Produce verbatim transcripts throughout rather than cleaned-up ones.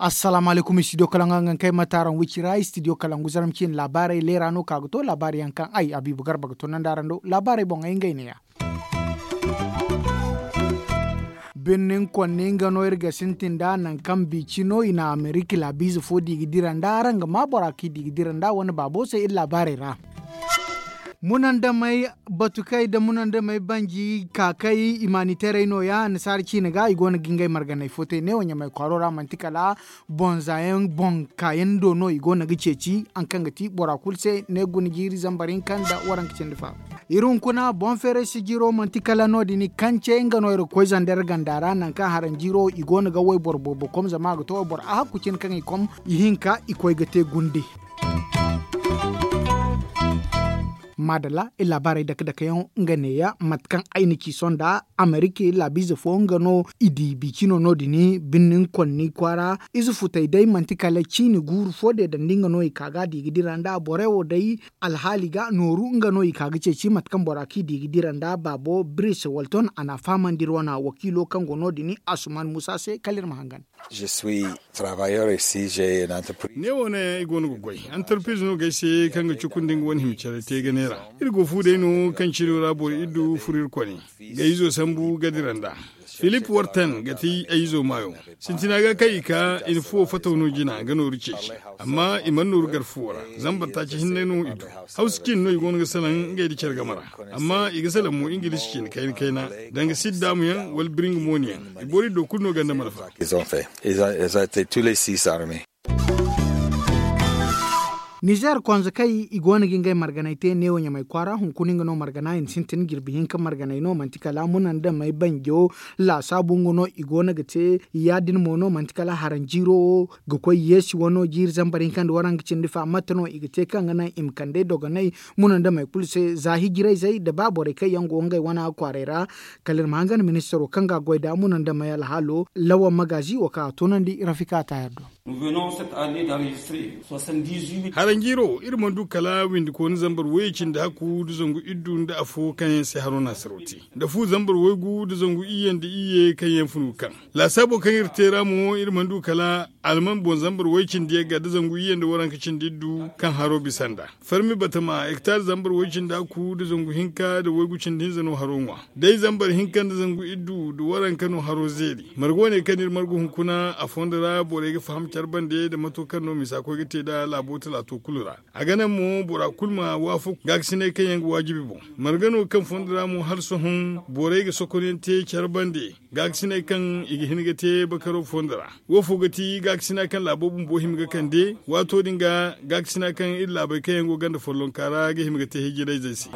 Assalaamu alaykum, studio kalangu hangan kay mate araŋ wicira studio kalangu zarma ciine laabaarey leera no ka ga to laabaari yaŋ kaŋ ay habiibu garba ga to nandi araŋ do laabaarey boŋ ay ngey neeya. Birnin konni nga no iri ga sintin nd'a nangu kaŋ biici no i na amerika laabiize fo di ga dira nd'a araŋ ga ma bora kaŋ i di ga dira nd'a wane baabo se iri laabaarey ra. Munandamey batukey nda munandamey banji kaakay imaniteerey no- ya annasaara ciine ga i go no ga ngey marganey fo te neewo ɲamey kwaaro ra manti kala boŋ zaayaŋ boŋ kaayaŋ do no i go no ga ceeci haŋ kaŋ ga ti bora kulu se ne guna jiiri zambar hinka nda waranka cindi fa. Iri hunkuna boŋ feeray sijiro manti kala no- din kance nga no iri ga koy zandar ganda ra nangu kaŋ haranjiro i go no ga wayboro boobo kom zama a ga to wayboro ahakku cine kaŋ i kom ihinka i koy ga te gunde. Maadalla iri laabaarey dake dake yaŋ nga neeya mate kaŋ ay na ci sohõ nda amerika laabiize fo nga no i di biicino no- din birnin konni kwaara ize futey day manti kala ciine guuru fo deedandi nga no i ka ga a di ga dira nda borey wo day alhaali ga nooru nga no i ka ga ceeci mate kaŋ bora kaŋ i di ga dira nda baabo biris walton a na a fahamandi iri wane wakiilo kaŋ go no- din asuman muusa se kala iri ma hangan. Ne wo ne i go no ga goy antarpiriz no ga ay se kaŋ ga cukundi nga wane hima care te ganey ra. Iri go fu day no kaŋ cino ra boro iddu furo iri kone ga izo sambu ga dira nd'a. Filip wartan ga ti ay izo maayo. Sintina ga kaŋ i ka i na fuwo fataw no jina ga nooru ceeci. Amma i mana nooru gar fuwo ra. Zambar taaci hinne no i du. Hawsa cine no i go no ga salaŋ ngey nda care game ra. Amma i ga salaŋ mo ingilishi cine kayna kayna danga sidda mo yaŋ wala biringa mooni yaŋ. I boro iddo kulu no ganda malfa. Nizer konzakey i go no ga ngey marganey te neewo ɲamey kwaara hunkuna nga no margana i na sintin jirbi hinka marganey no manti kala munandamey banjo. Laasaabu nga no i go no ga te ya- din mo no manti kala haranjiiro wo ga koy yeesi wano jiiri zambar hinka nda waranka cindi fa mate no i ga te kaŋ ga naŋ i ma kand'ey dogoney munandamey kulu se za hijirayzey nda ba borey kaŋ yaŋ go ngey wana kwaarey ra. Kala iri ma hangan ministaro kaŋ ga a goy nd'a munandamey alhaalo lawan magaazi wo kaŋ a toonandi rafika taayar do. Haranjiiro iri mana du kala windikooni zambar wayye cindi hakku nda zangu iddu nda afo kaŋ yaŋ se haro naasiro te nda fu zambar waygu nda zangu iyye nda iyye kaŋ yaŋ funu ga kaŋ. Laasaabo kaŋ iri te ra mo iri mana du kala alman boŋ zambar wayye cindi yagga nda zangu iyye nda waranka cindi iddu kaŋ haro bisa nd'a. Farmi batama hektar zambar wayye cindi hakku nda zangu hinka nda waygu cindi hinza no haro ŋwa. Day zambar hinka nda zangu iddu nda waranka no haro zeeri. Marga wane kaŋ iri margu hunkuna a fondo ra borey ga faham care bande nda mato kaŋ no misa koy ga te nd'a laabo talaato kulu ra. A ga naŋ mo bora kulu ma waafaku gaakasiney kaŋ yaŋ ga waajibi boŋ. Marga no kaŋ fondo ra mo hala sohõ borey ga sokonyaŋ te care bande gaakasiney kaŋ i ga hin ga te bakaro fondo ra. Wo fo ga ti gaakasina kaŋ laabo bumbo hima ga kande waato din ga gaakasina kaŋ iri laabey kaŋ yaŋ go ganda follonka ra ga hima ga te hijirayzey se.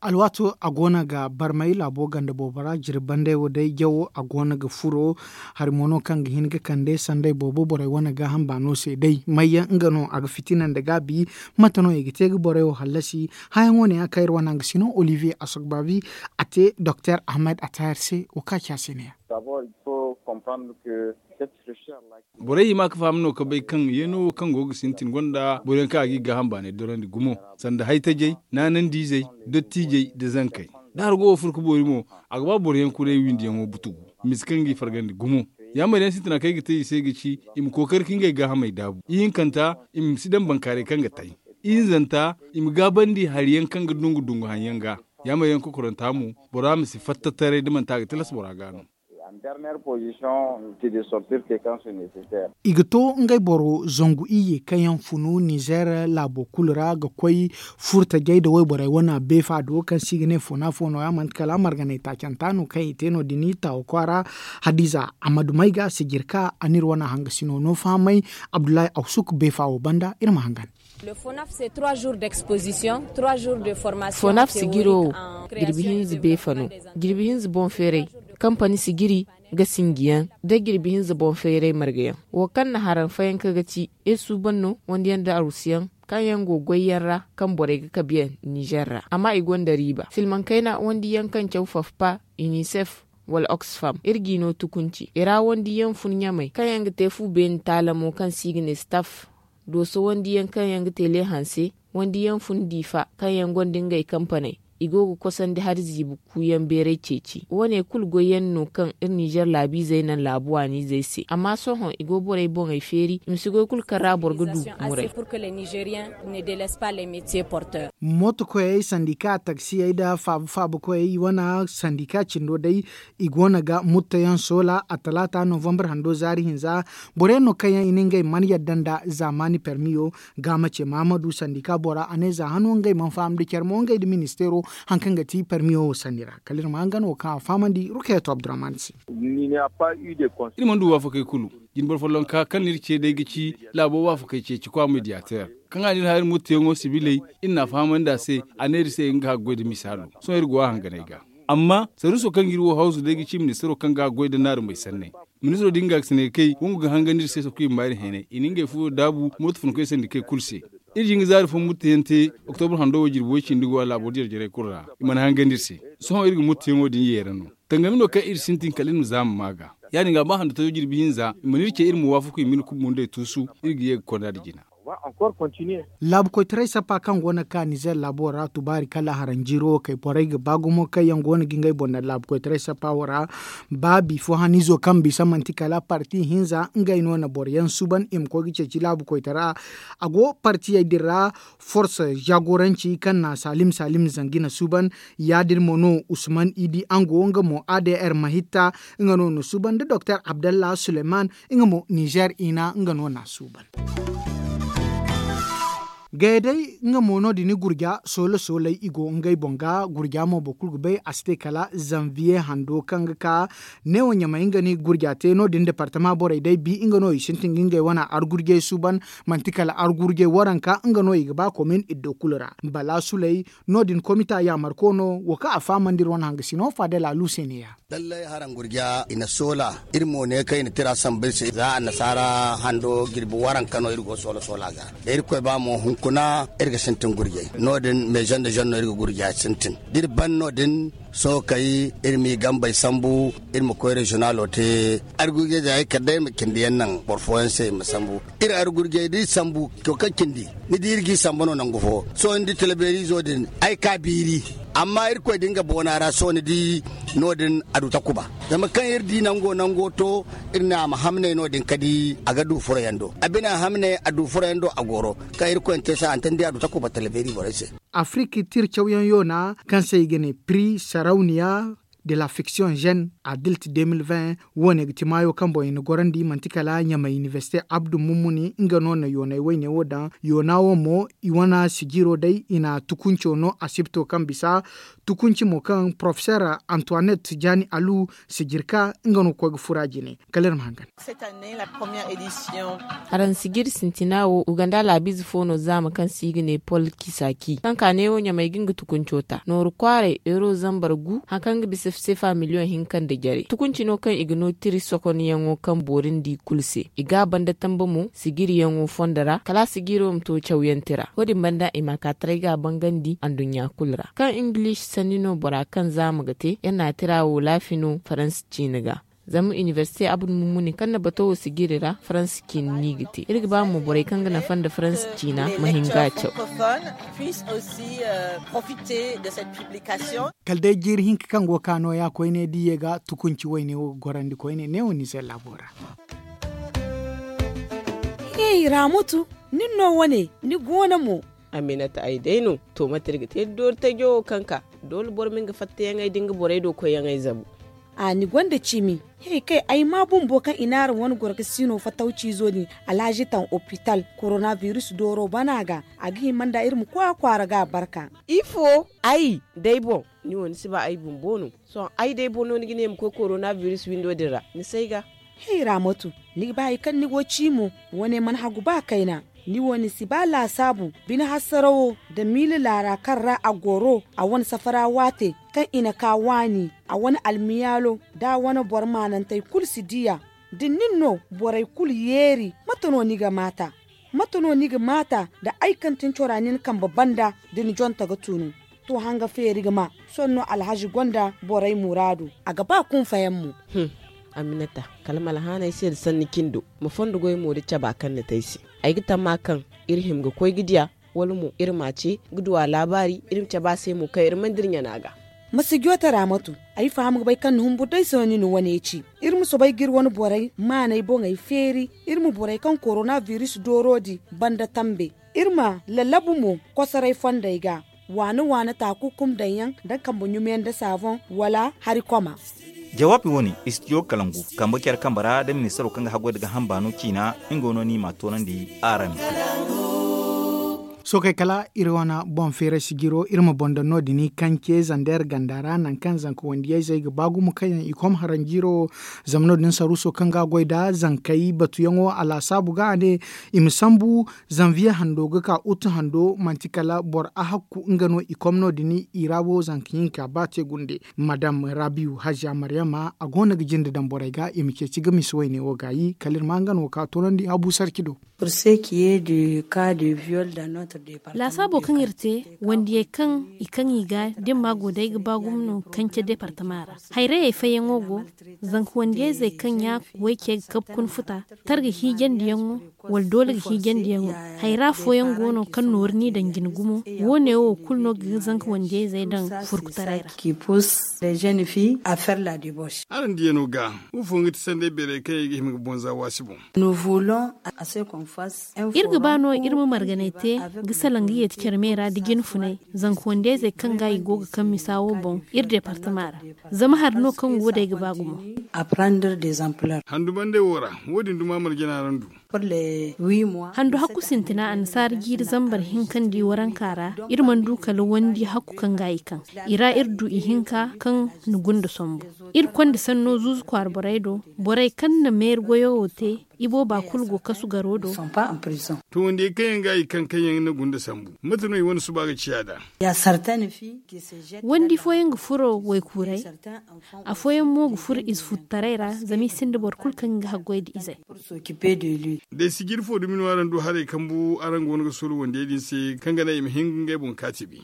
Alwaato a go no ga barmay laabo ganda boobo ra jirbi bandey wo day jawo a go no ga furo. Hari mo no kaŋ ga hin ga kande sanday boobo borey wane gaaham baano se day mayyaŋ nga no a ga fitina nda gaabi. Mate no i ga te ga borey wo hallasi? Hayaŋo ne ya kaŋ iri wane hangasino olivier asogbaabi a te doktor ahmed atahir se wo kaŋ a ci a se ne ya. Borey hima ga faham no ga bay kaŋ yeeno wo kaŋ go ga sintin gonda boro yaŋ kaŋ a ga i gaaham baanay dorandi gumo, sanda haytajey, naanandiizey, dottijey nda zankey. Da hargo wo furo ga boori mo, a ga ba boro yaŋ kuray windiyaŋo butugu, misa kaŋ ga i fargandi gumo. Yaamar yaŋ sintina kaŋ ay ga te i se ga ci i ma kookari ka ngey gaahamey daabu. Ihinkanta, i ma si daŋ bankaaray kaŋ ga tay. Ihinzanta, i ma gaabandi hari yaŋ kaŋ ga dungu dungu haŋ yaŋ ga. Yaamar yaŋ kokoranta mo, bora ma si fatta taray da manti a ga tilas bora ga no. I ga to ngey boro zangu iyye kaŋ yaŋ funu nizer laabo kulu ra ga koy furtajey nda wayborey wane beefa do kaŋ se i ga ne fona fo nooya manti kala marganay taacanta no kaŋ i te no- din taawa kwaara. Hadiza ahmadu mayga sijirka a n'iri wane hangasino no fahamay. Abdullahi awsuk beefa wo banda iri ma hangan. Fonaf sigiro wo jirbi hinza beefa no. Jirbi hinza boŋ feeray kampani sigiri ga sinjiyaŋ da jirbi hinza boŋ feeray margayaŋ wo kaŋ na haraŋ fayanka ga ci iri suuban no wandiyaŋ da arusiyaŋ kaŋ yaŋ go goyyaŋ ra kaŋ borey ga kabiyaŋ nizer ra amma i gonda riiba silmaŋ kayna wandiyaŋ kaŋ caw fafpa inisef wala oxfam iri g'i no tukunci i ra wandiyaŋ fun ɲamey kaŋ yaŋ ga te fu beeni taalamo kaŋ se i ga ne staf. Dooso wandiyaŋ kaŋ yaŋ ga te leehanse, wandiyaŋ fun diifa kaŋ yaŋ gonda ngey kampaney, i go ga kosandi hari ziibi kuuyaŋ beeray ceeci. Wo- ne kulu goyyaŋ no kaŋ iri ninzeer laabiizey naŋ laabu waaniizey se. Amma sohõ i go borey boŋey feeri i ma si goy kulu kaŋ ra boro ga du muray. Mooto koyey sandika taksiyey nda faaba faaba koyey i wane sandika cindo day, i go no ga murtayaŋ soola a talaata novambar hando zaari hinza. Boro yaŋ no kaŋ yaŋ i na ngey mana yadda nda zaamaani permiyo. Gaamace mahamadu sandika bora a ne za hano ngey mana faham nda care mo ngey nda ministeero, hari kaŋ ga ti permiyo wo sanni ra kala iri ma hangan wo kaŋ a fahamandi rukeeto abdurrahman se. Iri mana du waafakey kulu. Jine boro follonka kaŋ no iri ce day ga ci laabo waafakey ceeci kwa mediyateer, kaŋ a na iri hã iri murtayaŋo sibiley, iri n'a fahamandi a se. A ne iri se nga ga goy nda misaalo. Sohõ iri go a hanganey ga. Amma saruuso kaŋ ga iri wo hawsu day ga ci ministiro kaŋ ga a goy nda naarumey sanney. Ministiro din ga ga sine ga kay wangu ga hangandi iri se sokuyamma iri heenay i na ngey fuwo daabu mooto funkoy sandikey kulu se. Iri jin ga zaari fo murtayaŋ te oktobur hando wo jirbi way cindi go a laabo jarjarey kulu ra. I mana hangandi iri se. Sohõ iri ga murtayaŋo din yeera no. Tangami no kaŋ iri sintin kala iri ma zaama maa ga. Ya- din ga ba hando tajo jirbi hinza i mana iri ce iri ma waafaku i ma iri kumbundey tuusu. Iri ga ye ga konda nda jina. Laabu koytaray sappa kaŋ go no ga ka nizeer laabo ra tubaari kala haranjiiro wo kay borey ga ba gumo kaŋ yaŋ go no ga ngey boŋ daŋ laabu koytaray sappa wo ra. Ba bifo haniizo kaŋ bisa manti kala parti hinza ngey no na boro yaŋ suuban i ma koy ga ceeci laabu koytara. A go partiyey din ra, forse jaagoranci kaŋ na salim salim zangi na suuban. Ya- din mo no usman idi ango nga mo adr mahitta, nga no na suuban nda doktor abdallah suleman, nga mo nizeer ina nga no na suuban. Gaya day nga mo no- din gurja soole sooley i go ngey boŋ ga gurja mo boro kulu ga bay a si te kala zanviye hando kaŋ ga ka. Neewo ɲamay nga no i ga gurja te no- din departama borey day bi nga no i sintin ga ngey wane argurjey suuban. Manti kala argurjey waranka nga no i ga ba komin iddo kulu ra bala suley. No- din komita yaamarko no wo kaŋ a fahamandi iri wane hangasino faadel alu se ne- ya. Lallay haraŋ gurja i na soola. Iri mo ne kaŋ i na tira sambu iri se za annasaara hando jirbi waranka no iri go soola soola ga. Da irkoy ba mo hunkuna iri ga sintin gurjay. No- din meezan da zan no iri ga gurja sintin da iri ban no- din. Sohõ kay iri m'i gambey sambu iri ma koy reziyonalo te. Argurjay za ay kala day iri ma cindi yaŋ naŋ boro fooyaŋ se i ma sambu. Iri argurjay da iri sambu to kaŋ cindi ni di iri g'i sambu no nangu fo. Sohõ ni di talbeerizo din ay ka biiri. Amma irkoy din ga boona ra sohõ ni di no- din a du takuba. Zama kaŋ iri di nango nango to iri ne a ma hamnay no- din ka di a ga du furo yaŋ do a bina hamnay a du furo yaŋ do a goro. Kaŋ irkoy na te se a na te ni di a du takuba talbeeri borey se. Afiriki tir cawyaŋ yoona kaŋ se i ga ne pri sarawniya de la fiction jeune adilt deux mille vingt. Wo- ne ga ti maayo kaŋ boŋ i na gorandi manti kala ɲamay iniversite abdu mummuni nga no na yoonay wayne wo daŋ. Yoona wo mo i wane sijiro day i na tukunco no asibto kaŋ bisa tukunci mo kaŋ porofeser antoinette jaani alu sijirka nga no ga koy ga fura jine. Kala iri ma hangan. Haraŋ sijiri sintina wo uganda laabiize fo no zaama kaŋ se i ga ne pol kisaki kaŋ ka neewo ɲamay ga nga tukunco ta nooru kwaaray euro zambar gu hari kaŋ ga bisa sefa miliyoŋ hinka nda jare tukunci no kaŋ i ga no tiri sokonyaŋo kaŋ boori nda i kulu se i ga a banda tamba mo sijiriyaŋo fondo ra kala a sijiro ma to cawyaŋ tira wo- din banda i ma a ka taray ga a bangandi anduɲɲa kulu ra kaŋ ingilish sanni no bora kaŋ zaama ga te iri na a tira wo laafi no faransa ciine ga. Zama iniversite abdu mummuni kaŋ na bato wo sijiri ra faransa ciine no i ga te iri ga ba mo borey kaŋ ga nafa nda faransa ciina ma hin ga a caw. Kala day jiiri hinka kaŋ go ga ka nooya koyne diye ga tukunci wayne wo ga gorandi koyne neewo nizer laabo ra. Hey raamatu, nin no wane ni goono mo? Aminata ay day no. To mate iri ga te doori tajo wo kaŋ ka doole boro ma nga fattayaŋey da nga borey do koyyaŋey zabu. A ni gonda ciimi? He kay ay ma bumbo kaŋ i naara wane gorgasiino fatawciizo din alhazi taŋ opital korona biris dooro bana ga. A ga hima nda iri ma koy a kwaara ga a barka. Ifo? Ay day boŋ. Ni wo ni si ba ay bumbo no? Sohõ ay day boŋ no ni ga ne ma koy korona biris windo din ra ni si ay ga. Hey raamatu, ni ga ba hari kaŋ ni go ciimo? Wane mana hagu ba kayna. Ni wo ni si ba laasaabu bine hasarawo nda miila laara kaŋ ra a goro a wane safara waate kaŋ i na ka waani a wane almiyaalo nda a wane boro maanantey kulu si di a. Da nin no borey kulu yeeri mate no ni ga maata? Mate no ni ga maata nda ay kaŋ tin cora nin kambe banda da ni jonte ga tunu? To hanga feeri ga ma. Sohõ no alhazi gonda borey muraadu a ga ba kunfayaŋ mo. Aminata, kala ma alhaana ay se nda sanni cindo, ma fondo goy mo da caba kaŋ ni te ay se. Ay ga tamma kaŋ iri hima ga koy ga diya, wala mo iri ma a ce ga du a laabaari, iri ma cabe a se mo kaŋ iri mana dira ɲana ga. Ma si joote ra matu. Ay faham ga bay kaŋ ni humbur day sohõ ni na wane ci. Iri ma soobay ga iri wane borey maaney boŋey feeri. Iri ma borey kaŋ korona biris dooro din banda tambe. Iri ma lallabu mo kosoray fondey ga, waana waana taakukum daŋ yaŋ, da kambe ɲumiyaŋ da saaboŋ, wala hari koma. Jawaabi wane istidiyo kalangu kambe care kambe ra da ministaro kaŋ ga haggoy da gaaham baano ciina, nga no ni ma a toonandi araŋ. Sookey kala iri wane boŋ feeray sijiro iri ma boŋ daŋ no- din i kance zander ganda ra nangu kaŋ zanka wandiyayzey ga ba gumo kaŋ yaŋ i kom haranjiiro. Zama no- din saruuso kaŋ ga a goy nd'a zankey batuyaŋo a laasaabu ga a ne, i ma sambu zanviye hando ga ka utu hando manti kala boro ahakku nga no i kom no- din i ra wo zanka hinka ba te gunde. Madam rabiyu haziya maryama a go no ga jinde daŋ borey ga i ma ceeci ga misa wayne wo gaayi kala iri ma nga no ka toonandi habu sarci do. Laasaabo kaŋ iri te wandiyey kaŋ i kaŋ i ga dimma go day ga ba gumo no kance departama ra. Hayrayey fayyaŋo go, zanka wandiyayzey kaŋ ya way ce ga kabu kuna futa, targa hiijandiyaŋo, wala doole ga hiijandiyaŋo. Hayra fooyaŋ go no kaŋ nooru n'i daŋ jine gumo. Wo- ne wo kulu no ga zanka wandiyayzey daŋ furkutaray ra. Araŋ diyano ga, wo fooyaŋ ga ti sanday beerey kaŋ yaŋ i ga hima ga bonza waasi boŋ. Iri ga ba no iri ma marganay te ga salaŋ ga yeeti care me ra da jine funay, zanka wandiyayzey kaŋ ga i go ga kaŋ misa wo boŋ iri departama ra. Zama hari no kaŋ go day ga ba gumo. Handumandey wo ra, wo- din duma marjana araŋ du. Handu hakku sintina annasaara jiiri zambar hinka nda i waranka ra, iri mana du kala wandi hakku kaŋ ga i kaŋ. I ra iri du ihinka kaŋ na gunda sambu. Iri konda sanno zuuzu kwaara borey do, borey kaŋ na meeri goyo wo te, i booba kulu go kasu garo do. To wandiyey kaŋ yaŋ ga i kaŋ kaŋ yaŋ na gunda sambu, mate no i wane suba ga ciya nd'a? Wandi fooyaŋ ga furo waykuuray. Afooyaŋ mo ga furo ize futtaray ra, zama i sinda boro kulu kaŋ ga haggoy nda izey. Day sijiri fo dumi no araŋ du haray kambu araŋ go no ga soola wandiyey din se, kaŋ ga naŋ i ma hin ga ngey boŋ kaati bi?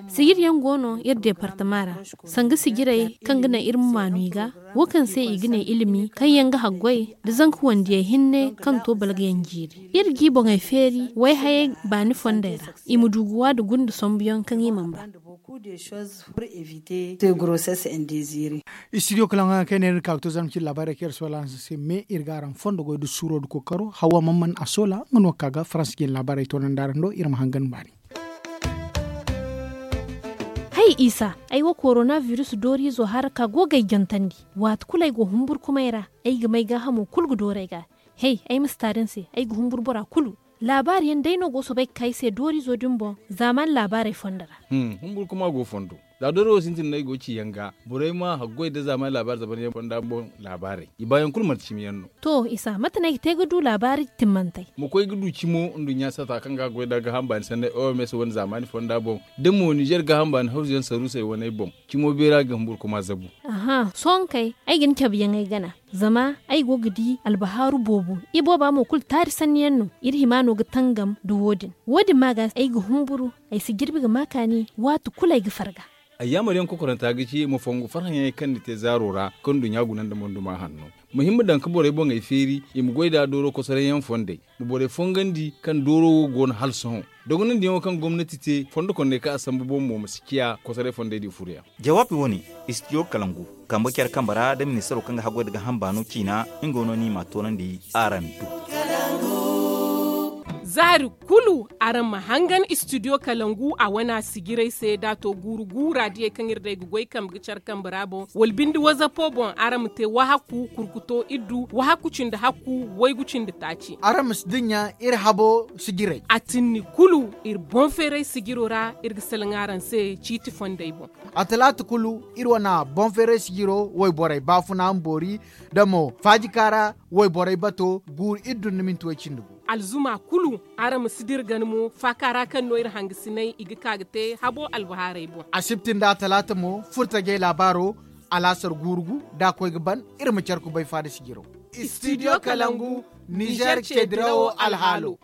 Sijiri yaŋ go no iri departama ra, sanga sijirey kaŋ ga naŋ iri ma maanu i ga, wo kaŋ se i ga ne ilimi kaŋ yaŋ ga haggoy nda zanka wandiyey hinne kaŋ to balgayaŋ jiiri. Iri ga i boŋey feeri wayhayey baani fondey ra, i ma du ga wa nda gunda sambuyaŋ kaŋ i mana ba. Istidiyo kalaŋ kaŋ yaŋ kaŋ ay ne iri ga ka ga to zarma cine laabaarey kaŋ iri soola araŋ se me iri ga araŋ fondo goy nda suuro nda kookaro hawa man man a soola nga no ga ka ga faransa jine laabaarey toonandi araŋ do iri ma hangan baani. Hay isa, ay wo korona biris dooriizo hara ka go ga ay jantandi. Waati kulu ay go humburkumay ra, ay ga may gaahamo kulu ga dooru ay ga. Hey, ay ma si taari ni se, ay ga humburu bora kulu. Laabaari yaŋ day no go soobay ga ka ay se dooriizo din boŋ zaamaani laabaarey fondo ra. Humburkuma go fondo. Za dooro wo sintin no ay go ga ci yaŋ ga, borey ma haggoy nda zaamaani laabaari zabaryaŋ fonda boŋ laabaarey, i baayaŋ kulu manti cimi yaŋ no. To isa, mate no ay ga te ga du laabaari timmantey? Ma koy ga du cimo nduɲɲa sata kaŋ ga a goy nda gaaham baani sanney oms wane zaamaani fonda boŋ, da mo nizer gaaham baani hawzuyaŋ saruusey waney boŋ. Cimo beera ga humburkuma zabu. Sohõ kay, ay ga ni cabe yaŋ ay gana, zama ay go ga di albahaaru boobo. Ibooba mo kulu taari sanni yaŋ no. Iri hima no ga tangam nda wo- din. Wo- din ma ga ay ga humburu, ay si jirbi ga ma kaani, waati kulu ay ga farga. Ayyaamar yaŋ kokoranta ga ci ma fongu farhãyaŋey kaŋ ni te zaaro ra, kaŋ nduɲɲa guna nda monduma hanno. Ma hin ma daŋ ga borey boŋey feeri, i ma goy nd'a dooro kosoray yaŋ fondey, ma borey fongandi kaŋ dooro wo go no hala sohõ. Dogonandiyaŋo kaŋ gomnati te fondo kondey kaŋ a sambu boŋ mo ma si ciya kosoray fondey din furoyaŋ. Jawaabi wane, istidiyo kalangu kambe care kambe ra nda ministaro kaŋ ga haggoy nda gaaham baano ciina, nga no ni m'a toonandi araŋ do. Zaari kulu araŋ ma hangan istidiyo kalangu a wana sijiray se da a to guuru guura diyey kaŋ iri day ga goy kambe ga care kambe ra boŋ wala bindi wazapo boŋ araŋ ma te wahakku kurkuto iddu wahakku cindi hakku waygu cindi taaci. Araŋ ma si dinya iri habo sijiray. A tinni kulu iri boŋ feeray sijiro ra iri ga salaŋ araŋ se ciiti fondey boŋ. A talaata kulu iri wana boŋ feeray sijiro wayborey baafuna ma boori da mo faajika ra wayborey bato guuru iddu nda minti way cindi gu. Alzuma kulu araŋ ma si dira gana mo faaka ra kaŋ no iri hangasinay i ga ka ga te habo albahaarey boŋ. Asibti nda talaata mo furtajey laabaaro alaasar guuru gu da a koy ga ban iri ma care kubay faada sijiro. Istidiyo kalangu nizer ce dirawo alhaalo.